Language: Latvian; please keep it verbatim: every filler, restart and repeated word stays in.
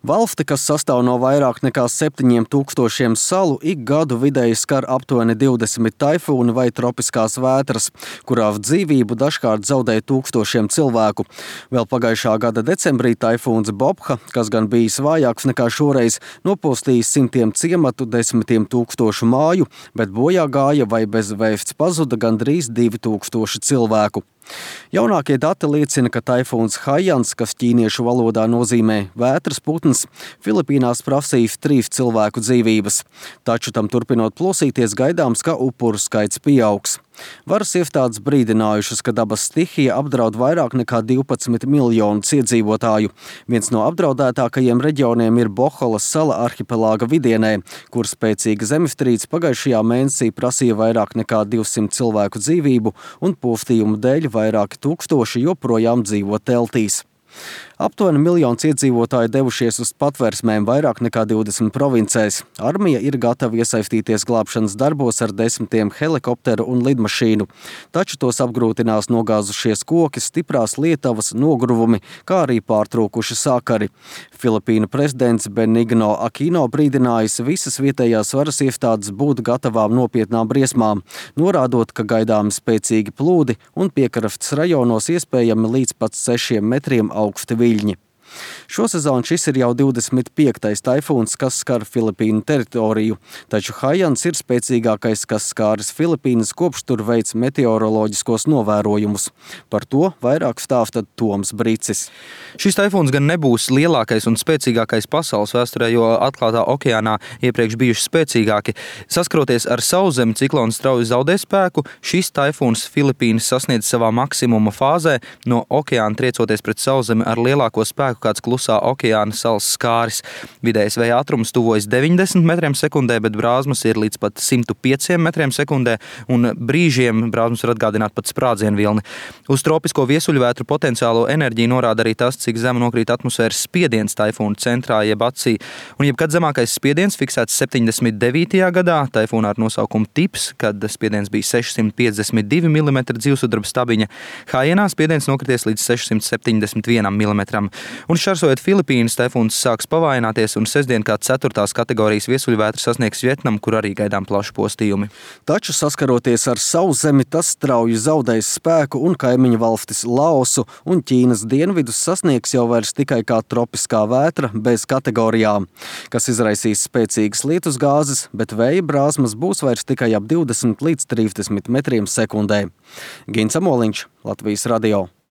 Valsti, kas sastāv no vairāk nekā septiņiem tūkstošiem salu, ik gadu vidēji skar aptuveni divdesmit taifūni vai tropiskās vētras, kurā dzīvību dažkārt zaudē tūkstošiem cilvēku. Vēl pagājušā gada decembrī taifūns Bobha, kas gan bijis vājāks nekā šoreiz, nopostījis simtiem ciematu, desmitiem tūkstošu māju, bet bojā gāja vai bez vēsts pazuda gandrīz divi tūkstoši cilvēku. Jaunākie dati liecina, ka taifūns Haijans, kas ķīniešu valodā nozīmē vētras putns, Filipīnās prasīs trīs cilvēku dzīvības. Taču tam turpinot plosīties, gaidāms, ka upuru skaits pieaugs. Varas iestādes brīdinājušas, ka dabas stihija apdraud vairāk nekā divpadsmit miljonus iedzīvotāju. Viens no apdraudētākajiem reģioniem ir Boholas sala arhipelāga vidienē, kur spēcīga zemestrīce pagājušajā mēnesī prasīja vairāk nekā divsimt cilvēku dzīvību un postījumu dēļ vairāki tūkstoši joprojām dzīvo teltīs. Aptuveni miljons iedzīvotāji devušies uz patversmēm vairāk nekā divdesmit provincēs. Armija ir gatava iesaistīties glābšanas darbos ar desmitiem helikopteru un lidmašīnu. Taču tos apgrūtinās nogāzušies koki, stiprās lietavas, nogruvumi, kā arī pārtrūkuši sakari. Filipīnu prezidents Benigno Aquino brīdinājis visas vietējās varas iestādes būt gatavām nopietnām briesmām, norādot, ka gaidāmi spēcīgi plūdi un piekrastes rajonos iespējami līdz pat sešiem metriem augsti viļņi. Šosezon šis ir jau divdesmit piektais taifūns, kas skar Filipīnu teritoriju, taču Haijans ir spēcīgākais, kas skāris Filipīnas, kopš tur veic meteoroloģiskos novērojumus. Par to vairāk stāsta Toms Bricis. Šis taifūns gan nebūs lielākais un spēcīgākais pasaules vēsturē, jo atklātā okeānā iepriekš bijuši spēcīgāki. Saskaroties ar sauszemi, ciklons strauji zaudē spēku, šis taifūns Filipīnas sasniedz savā maksimuma fāzē, no okeāna triecoties pret sauszemi ar lielāko spēku, kāds klusā okeāna salas skāris. Vidējais vēja ātrums tuvojas deviņdesmit metriem sekundē, bet brāzmas ir līdz pat simt pieci metriem sekundē, un brīžiem brāzmas var atgādināt pat sprādzienu vilni. Uz tropisko viesuļvētru potenciālo enerģiju norāda arī tas, cik zemu nokrīt atmosfēras spiediens taifūna centrā jeb acī. Un jebkad zemākais spiediens fiksēts septiņdesmit devītajā gadā, taifūnā ar nosaukumu Tips, kad spiediens bija sešsimt piecdesmit divi milimetri dzīvsudraba stabiņa. Haijanā spiediens nokrities līdz sešsimt septiņdesmit vienam milimetram. Un šķērsojot Filipīnas, taifūns sāks pavājināties un sestdien kā ceturtās kategorijas viesuļvētra sasniegs Vietnamu, kur arī gaidām plaši postījumi. Taču saskaroties ar sauszemi, tas strauji zaudēs spēku un kaimiņu valstis Laosu un Ķīnas dienvidus sasniegs jau vairs tikai kā tropiskā vētra bez kategorijām, kas izraisīs spēcīgas lietus gāzes, bet vēja brāzmas būs vairs tikai ap divdesmit līdz trīsdesmit metriem sekundē. Gins Amoliņš, Latvijas radio.